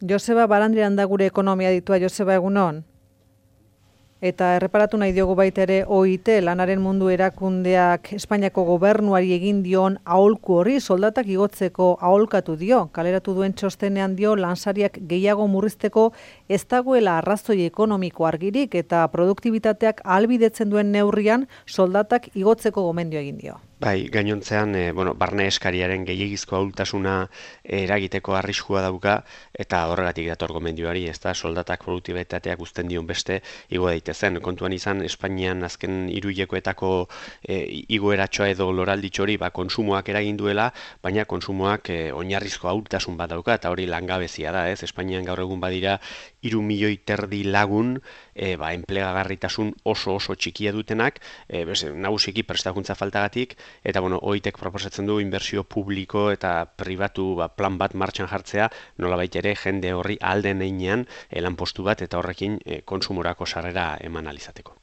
Joseba Barandiaran da gure ekonomia ditua. Joseba, egunon. Eta erreparatu nahi diogu baita ere OIT, lanaren mundu erakundeak Espainiako gobernuari egin dion aholku horri, soldatak igotzeko aholkatu dio. Kaleratu duen txostenean dio lansariak gehiago murrizteko ez dagoela arrazoi ekonomiko argirik eta produktibitateak ahalbidetzen duen neurrian soldatak igotzeko gomendio egin dio. Bai, gainontzean, barne eskariaren gehiegizko ahultasuna eragiteko arriskua dauka, eta horregatik dator gomendioari, ez da, soldatak produktibitateak uzten dion beste igo daitezen. Kontuan izan, Espainian azken hiruhilekoetako igoeratxoa edo loralditxori konsumoak eragin duela, baina konsumoak oinarrizko ahultasun bat dauka, eta hori langabezia da, ez? Espainian gaur egun badira 3,5 milioi lagun, enplegagarritasun oso txikia dutenak, nagusiki prestakuntza faltagatik, eta OITek proposatzen du inbertsio publiko eta pribatu plan bat martxan jartzea, nolabait ere jende horri ahal den heinean lanpostu bat eta horrekin kontsumorako sarrera eman ahal izateko.